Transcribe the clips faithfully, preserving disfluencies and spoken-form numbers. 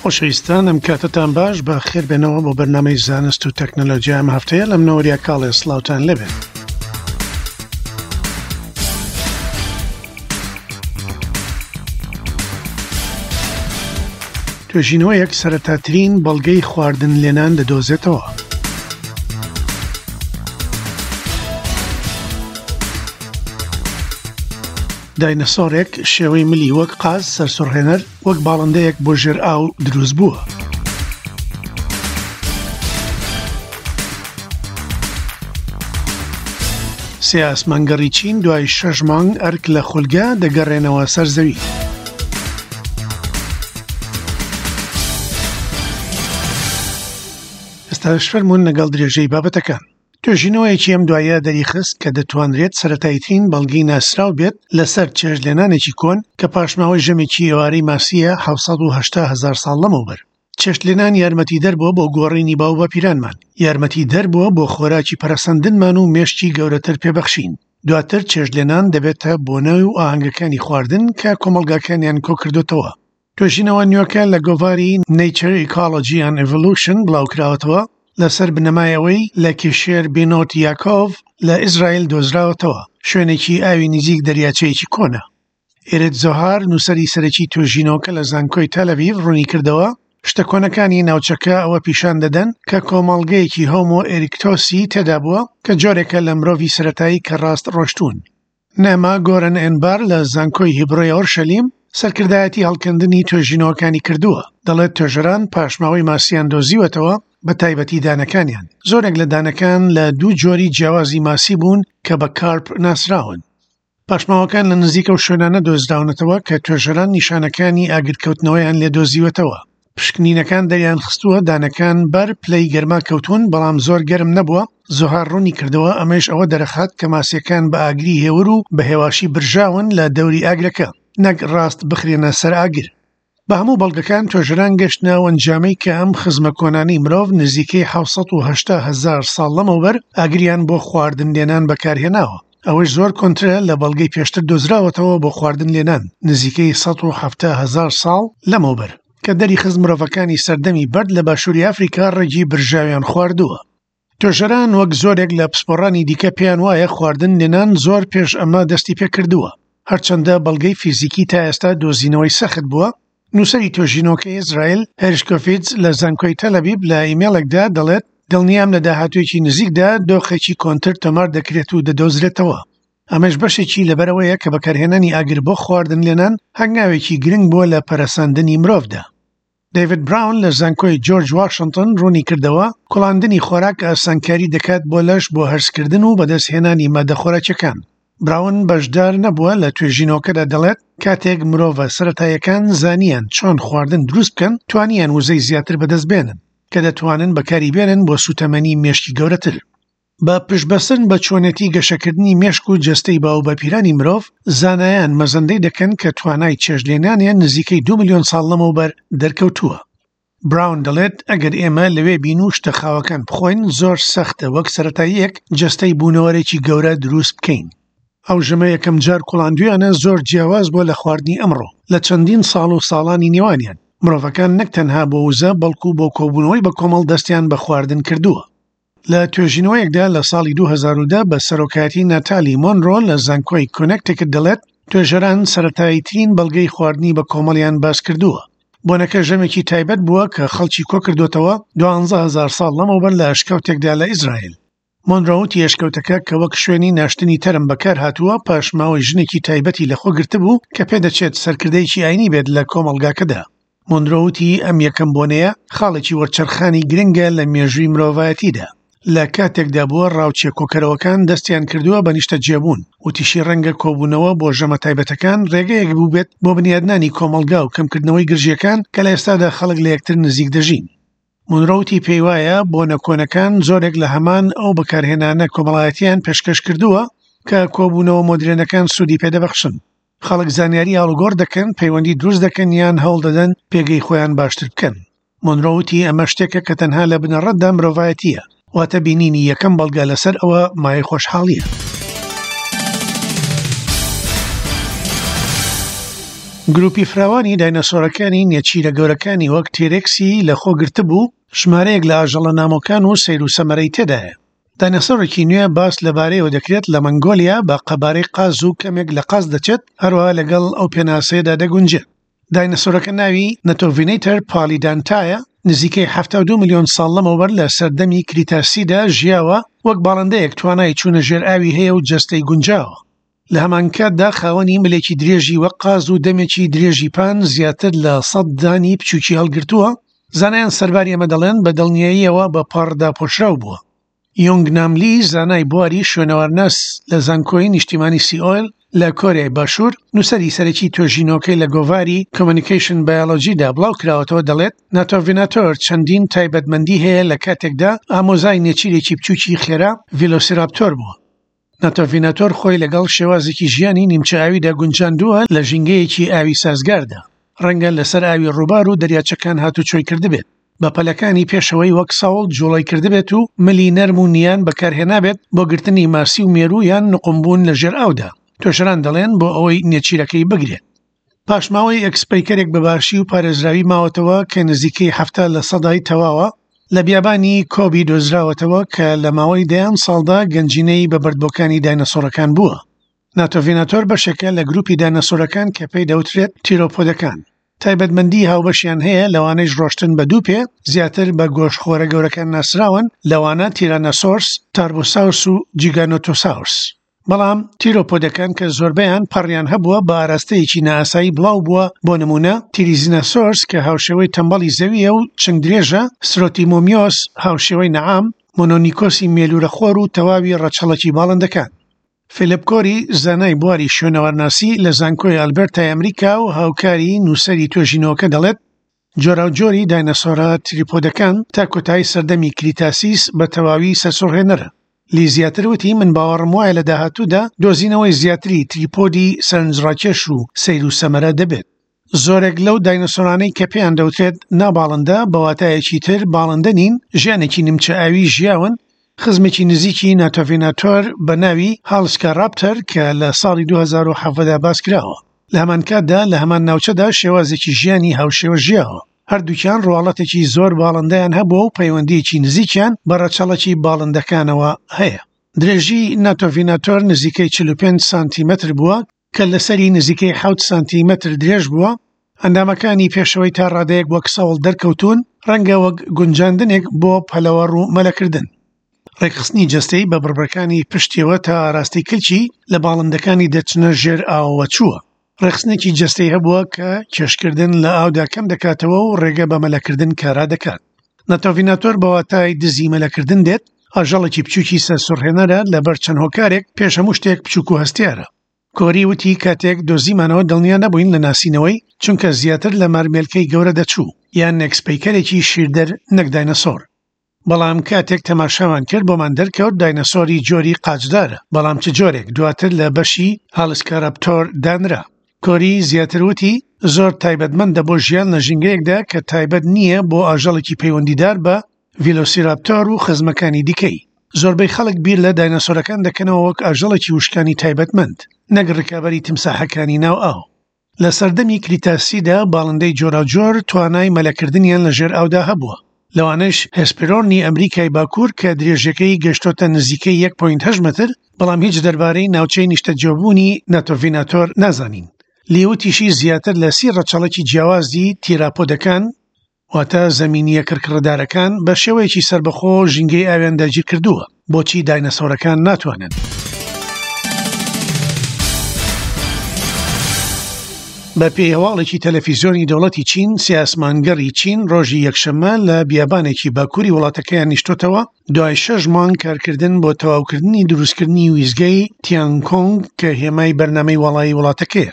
خۆشەویستان ئەم کاتەتان باش، بە خێربێنەوە بۆ بەرنامەی زانست و تەکنەلۆژیا ئەم هەفتەیە لەم نەوەریا کاڵێ سڵاوتان لێبێت. توێژینەوەیەک سەرەتاترین بەڵگەی خواردن لێنان دەدۆزێتەوە. داینەسۆرێک شێوەی ملی وەک قاز سەرسوڕهێنەر وەک باڵندەیەک بۆ ژێر ئاو دروست بووە. سێ ئاسمانگەڕی چین دوای شەش مانگ ئەرک لە خولگە دەگەڕێنەوە سەر زەوی. ئێستاش فەرموون لەگەڵ درێژەی بابەتەکان. توێژینەوەیەکی ئەم دوایە دەریخست کە دەتوانرێت سەرەتاییترین بەڵگەی ناسراو بێت لەسەر چێشتلێنانێکی کۆن کە پاشماوەی ژەمێکی ئێوارەی ماسییە حەوت سەد و هەشتا هەزار ساڵ لەمەوبەر. چێشتلێنان یارمەتیدەر بووە بۆ گۆڕینی باوباپیرانمان، یارمەتیدەر بووە بۆ خۆراکی پەرەسەندنمان و مێشکی گەورەتر پێبەخشین. دواتر چێشتلێنان دەبێتە بۆنە و ئاهەنگەکانی خواردن کە کۆمەڵگاکانیان کۆکردوتەوە. توێژینەوە نوێکە لە گۆڤاری Nature Ecology and Evolution بڵاوکراوەتەوە لەسەر بنەمای ئەوەی لە کێشێر بینۆت یاکۆڤ لە ئیسرائیل دۆزراوەتەوە، شوێنێکی ئاوی نزیک دەریاچەیەکی کۆنە. ئێرێت زۆهار نووسەری سەرەکی توێژینەوەکە لە زانکۆی تەلەڤیڤ ڕوونی کردەوە شتە کۆنەکانی ناوچەکە ئەوە پیشان دەدەن کە کۆمەڵگەیەکی هۆمۆ ئێریکتۆسی تێدا بووە کە جۆرێکە لە مرۆڤی سەرەتایی کە ڕاست ڕۆشتوون. نەما گۆرن ئێنبار لە زانکۆی هیبرۆی ئۆرشەلیم سەرکردایەتی هەڵکەندنی توێژینەوەکانی کردووە، دەڵێت توێژەران پاشماوەی ماسیان دۆزیوەتەوە بە تایبەتی دانەکانیان. زۆرێک لە دانەکان لە دوو جۆری جیاوازی ماسی بوون کە بە کارپ ناسراون. پاشماوەکان لە نزیک ئەو شوێنانە دۆزراونەتەوە کە توێژەران نیشانەکانی ئاگرکەوتنەوەیان لێ دۆزیوەتەوە. پشکنینەکان دەریان خستووە دانەکان بەر پلەی گەرما کەوتون، بەڵام زۆر گەرم نەبووە. زۆهار ڕوونی کردەوە ئەمەش ئەوە دەرەخات کە ماسیەکان بە ئاگری هێور و بە هێواشی برژاون لە دەوری ئاگرەکە، نەک ڕاست بخرێنە سەر ئاگر. بە هەموو بەڵگەکان توێژەران گەشتنە ئەو ئەنجامەی کە ئەم خزمە کۆنانەی مرۆڤ نزیکەی حەوت سەد و هەشتا هەزار ساڵ لەمەوبەر ئاگریان بۆ خواردن لێنان بەکارهێناوە. ئەوەش زۆر کۆنترە لە بەڵگەی پێشتر دۆزراوەتەوە بۆ خواردن لێنان نزیکەی سەد و حەفتا هەزار ساڵ لەمەوبەر کە دەریخست مرۆڤەکانی سەردەمی بەرد لە باشووری ئەفریکا ڕێگی برژاویان خواردووە. توێژەران وەک زۆرێک لە پسپۆڕانی دیکە پێیان وایە خواردن لێنان زۆر پێش ئەمە دەستی پێکردووە، هەرچەندە بەڵگەی فیزیکی تا ئێستا دۆزینەوەی سەخت بووە. نووسەری توێژینەوەکەی ئیسرائیل هێرشکۆفیتز لە زانکۆی تەلەبیب لە ئیمێڵێکدا دەڵێت دڵنیام لە داهاتوویەکی نزیکدا دۆخێکی کۆنتر تۆمار دەکرێت و دەدۆزرێتەوە. ئەمەش بەشێکی لەبەرەوەیە کە بەکارهێنانی ئاگر بۆ خواردن لێنان هەنگاوێکی گرنگ بووە لە پەرەسەندنی مرۆڤدا. دەیڤید براون لە زانکۆی جۆرج واشنتن ڕوونی کردەوە کوڵاندنی خۆراک ئاسانکاری دەکات بۆ لەش بۆ هەرسکردن و بەدەستهێنانی مادە خۆراکیەکان. براون بەشدار نەبووە لە توێژینەوەکەدا دەڵێت کاتێک مرۆڤە سەرەتاییەکان زانیان چۆن خواردن دروست بکەن توانیان وزەی زیاتر بەدەست بێنن کە دەتوانن بەکاری بێنن بۆ سوتەمەنی مێشکی گەورەتر. بە پشتبەستن بە چۆنێتی گەشەکردنی مێشک و جەستەی باوباپیرانی مرۆڤ، زانایان مەزەندەی دەکەن کە توانای چێشتلێنانیان نزیکەی دوو ملیۆن ساڵ لەمەوبەر دەرکەوتووە. براون دەڵێت ئەگەر ئێمە لەوێ بین و شتە خاوەکان بخۆین زۆر سەختە وەک سەرەتاییەک جەستەی بوونەوەرێکی گەورە دروست بکەین. ئەو ژەمە یەکەم جار کوڵاندویانە زۆر جیاواز بووە لە خواردنی ئەمڕۆ لە چەندین ساڵ و ساڵانی نێوانیان. مرۆڤەکان نەک تەنها بۆ وزە بەڵکو بۆ کۆبوونەوەی بە کۆمەڵ دەستیان بە خواردن کردووە. لە توێژینەوەیەکدا لە ساڵی دوو هەزار و دە بە سەرۆکایەتی ناتالی مۆنرۆ لە زانکۆی کۆنێکتیکت دەڵێت توێژەران سەرەتاییترین بەڵگەی خواردنی بە کۆمەڵیان باس کردووە. بۆنەکە ژەمێکی تایبەت بووە کە خەڵکی کۆکردوتەوە دوانزە هەزار ساڵ لەمەوبەر لە ئەشکەوتێکدا لە ئیسرائیل. مۆنرۆ وتی ئەشکەوتەکە کە وەک شوێنی ناشتنی تەرم بەکار هاتووە پاشماوەی ژنێکی تایبەتی لەخۆ گرتبوو کە پێدەچێت سەرکردەیەکی ئاینی بێت لە کۆمەڵگاکەدا. مۆنرۆ وتی ئەم یەکەم بۆنەیە خاڵێکی وەرچەرخانی گرنگە لە مێژووی مرۆڤایەتیدا. لە کاتێکدا بووە ڕاوچێ کۆکەرەوەکان دەستیان کردووە بە نیشتەجێبوون. وتیشی ڕەنگە کۆبوونەوە بۆ ژەمە تایبەتەکان ڕێگەیەک بوو بێت بۆ بنیادنانی کۆمەڵگا و کەمکردنەوەی گرژیەکان کە لە ئێستادا خەڵک لە یەکتر نزیک دەژین. مۆنرۆ وتی پێی وایە بۆنە کۆنەکان زۆرێک لە هەمان ئەو بەکارهێنانە کۆمەڵایەتیان پێشکەش کردووە کە کۆبوونەوە مۆدرێنەکان سوودی پێدەبەخشن. خەڵک زانیاری ئاڵوگۆڕ دەکەن، پەیوەندی دروست دەکەن یان هەوڵ دەدەن پێگەی خۆیان باشتر بکەن. مۆنرۆ وتی ئەمە شتێکە کە تەنها لە بنەڕەتدا مرۆڤایەتیە، واتە بینینی یەکەم بەڵگە لەسەر ئەوە مایەی خۆشحاڵیە. گروپی فراوانی دایناسۆرەکانی نێچیرە گەورەکانی وەک تیرێکسی لەخۆ گرتبوو، ژمارەیەک لە ئاژەڵە نامۆکان و سەیر و سەمەرەی تێدایە. دایناسۆرێکی نوێ باس لەبارەیەوە دەکرێت لە مەنگۆلیا بە قەبارەی قاز و کەمێک لە قاز دەچێت، هەروەها لەگەڵ ئەو پێناسەیەدا دەگونجێت. دایناسۆرەکە ناوی نەتۆڤینەیتەر پالیدانتایە، نزیکەی حەفتا و دوو ملیۆن ساڵ لەمەوبەر لە سەردەمی کریتاسیدا ژیاوە، وەک باڵندەیەک توانای چوونە ژێر ئاوی هەیە و جەستەی گونجاوە. لە هەمانکاتدا خاوەنی ملێکی درێژی وەک قاز و دەمێکی درێژی پان زیاتر لە سەد دانی بچووکی هەڵگرتووە. زانایان سەرباری ئەمە دەڵێن بە دڵنیاییەوە بە پەڕدا پۆشراو بووە. یۆنگ ناملی زانای بواری شوێنەوارناس لە زانکۆی نیشتیمانی سیئۆل لە کۆریای باشوور، نووسەری سەرەکی توێژینەوەکەی لە گۆڤاری کۆمۆنیکەیشن بایۆلۆجیدا بڵاو کراوەتەوە دەڵێت ناتۆڤیناتۆر چەندین تایبەتمەندی هەیە لە کاتێکدا ئامۆزای نێچیرێکی بچووکی خێرا ڤیلۆسیراپتۆر بووە. ناتۆڤیناتۆر خۆی لەگەڵ شێوازێکی ژیانی نیمچە ئاویدا گونجاندووە لە ژینگەیەکی ئاوی سازگاردا، ڕەنگە لەسەر ئاوی ڕووبار و دەریاچەکان هاتوچۆی کردبێت، بە پەلەکانی پێشەوەی وەک ساوڵ جوڵەی کردبێت و ملی نەرم و نیان بەکارهێنابێت بۆ گرتنی ماسی و مێروو یان نقومبوون لە ژێر ئاودا. توێژەران دەڵێن بۆ ئەوەی نێچیرەکەی بگرێت. پاشماوەی ئەکسپەیکەرێک بە باشی و پارێزراوی ماوەتەوە کە نزیکەی حەفتا لە سەدای تەواوە لە بیابانی کۆبی دۆزراوەتەوە کە لە ماوەی دەیان ساڵدا گەنجینەی بە بەردبۆکانی دایناسۆرەکان بووە. ناتۆڤیناتۆر بەشێکە لە گروپی دایناسۆرەکان کە پێی دەوترێت تیرۆپۆدەکان. تایبەتمەندی هاوبەشیان هەیە، لەوانەیش ڕۆشتن بە دوو پێ، زیاتر بە گۆشتخۆرە گەورەکان ناسراون، لەوانە تیرانەسۆرس، تاربۆساورس و جیگانۆتۆساورس. بەڵام تیرۆپۆدەکان کە زۆربەیان پەڕیان هەبووە بە ئاراستەیەکی نائاسایی بڵاو بووە، بۆ نمونە تیریزیناسۆرس کە هاوشێوەی تەمبەڵی زەویە و چنگ درێژە، سترۆتیمۆمیۆس هاوشێوەی نەعام، مۆنۆنیکۆسی مێلورەخۆر و تەواوی ڕەچەڵەکی باڵندەکان. فیلیپ کۆری زانای بواری شوێنەوارناسی لە زانکۆی ئەلبەرتای ئەمریکا و هاوکاری نووسەری توێژینەوەکە دەڵێت جۆراوجۆری دایناسۆرە تریپۆدەکان تا کۆتایی سەردەمی کریتاسیس بە تەواوی سەرسوڕهێنەرە. لی زیاتر وتی من باوەڕم وایە لە داهاتوودا دۆزینەوەی زیاتری تریپۆدی سەرنجڕاکێش و سەیر و سەمەرە دەبێت. زۆرێک لەو دایناسۆرانەی کە پێیان دەوترێت ناباڵندە بە واتایەکی تر باڵندە نین، ژیانێکی نیمچە ئاوی ژیاون. خزمێکی نزیکی ناتۆڤیناتۆر بە ناوی هالسکاراپتەر کە لە ساڵی دوو هەزار و حەڤدە باس کراوە، لە هەمان کاتدا لە هەمان ناوچەدا شێوازێکی ژیانی هاوشێوە ژیاوە. هەردووکیان ڕواڵەتێکی زۆر باڵندەیان هەبووە و پەیوەندیەکی نزیکیان بە ڕەچەڵەکی باڵندەکانەوە هەیە. درێژی ناتۆڤیناتۆر نزیکەی چل و پێنج سانتیمەتر بووە کە لەسەری نزیکەی حەوت سانتیمەتر درێژ بووە. ئەندامەکانی پێشەوەی تا ڕادەیەک وەک سەوڵ دەرکەوتون، ڕەنگە وەک گونجاندنێک بۆ پەلەوەڕ و مەلەکردن. ڕێکخستنی جەستەی بە بڕبڕەکانی پشتیەوە تا ئاراستەی کلکی لە باڵندەکانی دەچنە ژێر ئاوەوە چووە. ڕێکخستنێکی جەستەی هەبووە کە کێشکردن لە ئاودا کەم دەکاتەوە و ڕێگە بە مەلەکردن کارا دەکات. ناتۆڤیناتۆر بە واتای دزی مەلەکردن دێت، ئاژەڵێکی بچووکی سەرسوڕهێنەرە لەبەر چەند هۆکارێک، پێش هەموو شتێک بچووک و هەستیارە. کۆری وتی کاتێک دۆزیمانەوە دڵنیا نەبووین لە ناسینەوەی، چونکە زیاتر لە مارمێلکەی گەورە دەچوو یان نێکسپەیکەرێکی شیردەر نەک دایناسۆر. بەڵام کاتێک تەماشاوان کرد بۆمان دەرکەوت دایناسۆری جۆری قاچدارە، بەڵام چ جۆرێک دواتر لە بەشی هالسکاراپتۆر دانرا. کۆری زیاتر وتی زۆر تایبەتمەندە بۆ ژیان لە ژینگەیەکدا کە تایبەت نییە بۆ ئاژەڵێکی پەیوەندیدار بە ڤیلۆسیراپتۆر و خزمەکانی دیکەی. زۆربەی خەڵک بیر لە دایناسۆرەکان دەکەنەوە وەک ئاژەڵێکی وشکانی تایبەتمەند، نەک ڕکابەری تیمساحەکانی ناو ئاو. لە سەردەمی کریتاسیدا باڵندەی جۆراوجۆر توانای مەلەکردنیان لە ژێر ئاودا هەبووە، لەوانەش هێسپیرۆرنی ئەمریکای باکوور کە درێژەکەی گەشتۆتە نزیکەی یەک پۆینت هەشت مەتر، بەڵام هیچ دەربارەی ناوچەی نیشتەجێبوونی ناتۆڤیناتۆر نازانین. لیوتیشی زیاتر لە سی ڕەچەڵەکی جیاوازی تیراپۆدەکان، واتە زەمینیە کڕکڕدارەکان، بە شێوەیەکی سەربەخۆ ژینگەی ئاویان داگیر کردووە. بۆچی دایناسۆرەکان ناتوانن؟ بە پێی هەواڵێکی تەلەفیزیۆنی دەوڵەتی چین، سێ ئاسمانگەڕی چین ڕۆژی یەکشەممە لە بیابانێکی باکووری وڵاتەکەیان نیشتۆتەوە دوای شەش مانگ کارکردن بۆ تەواوکردنی دروستکردنی ویزگەی تیانکۆنگ کە هێمای بەرنامەی وەڵایی وڵاتەکەیە.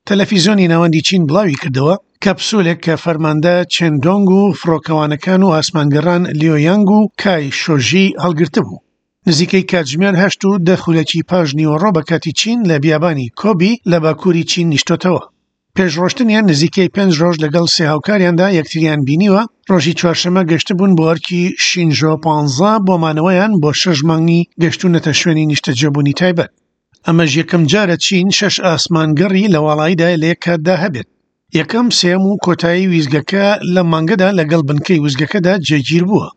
تەلەفیزیۆنی ناوەندی چین بڵاوی کردەوە کەپسولێک کە فەرماندە چێندۆنگ و فڕۆکەوانەکان و ئاسمانگەڕان لیۆیانگ و کای شۆژی هەڵگرتبوو. نزیکەی کاتژمێر هەشت و دە خولەکی پاش نیوەڕۆ بە کاتی چین لە بیابانی کۆبی لە باکووری چین نیشتۆتەوە. پێش ڕۆشتنیان نزیکەی پێنج ڕۆژ لەگەڵ سێ هاوکاریاندا یەکتریان بینیوە. ڕۆژی چوارشەممە گەشتبوون بۆ ئەرکی شینژۆ پانزە بۆ مانەوەیان بۆ شەش مانگی گەشتونەتە شوێنی نیشتەجێبوونی تایبەت. ئەمەش یەکەم جارە چین شەش ئاسمانگەڕی لە واڵاییدا لە یەک کاتدا هەبێت. یەکەم، سێیەم و کۆتایی وێستگەکە لەم مانگەدا لەگەڵ بنکەی وێستگەکەدا جێگیر بووە.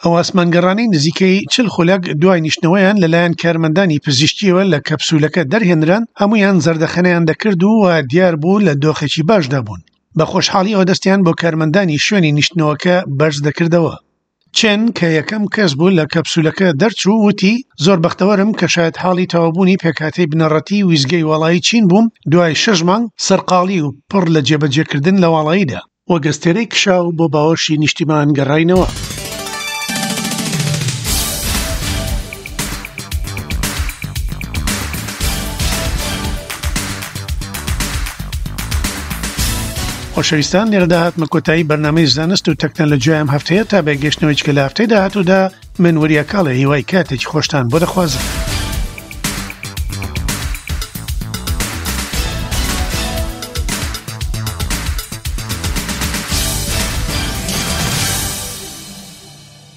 ئەو ئاسمانگەڕانەی نزیکەی چل خولەک دوای نیشتنەوەیان لەلایەن کارمەندانی پزیشکیەوە لە کەپسولەکە دەرهێنران، هەمویان زەردەخەنەیان دەکرد و دیار بوو لە دۆخێکی باشدا بوون. بە خۆشحاڵیەوە دەستیان بۆ کارمەندانی شوێنی نیشتنەوەکە بەرز دەکردەوە. چێن کە یەکەم کەس بوو لە کەپسولەکە دەرچوو وتی زۆر بەختەوەرم کە شاید حاڵی تەواوبوونی پێکهاتەی بنەڕەتی ویزگەی واڵایی چین بووم دوای شەش مانگ سەرقاڵی و پڕ لە جێبەجێکردن لە واڵاییدا. وەک ئەستێرەی کشاو بۆ باوەشی نیشتیمان گەڕاینەوە. خۆشەویستان لێرەدا هاتمە کۆتایی بەرنامەی زانست و تەکنەلۆژیای ئەم هەفتەیە تا بەگەشتنەوەی چکە لە هەفتەی داهاتوودا من وریا کاڵێ هیوای کاتێکی خۆشتان بۆ دەخوازم.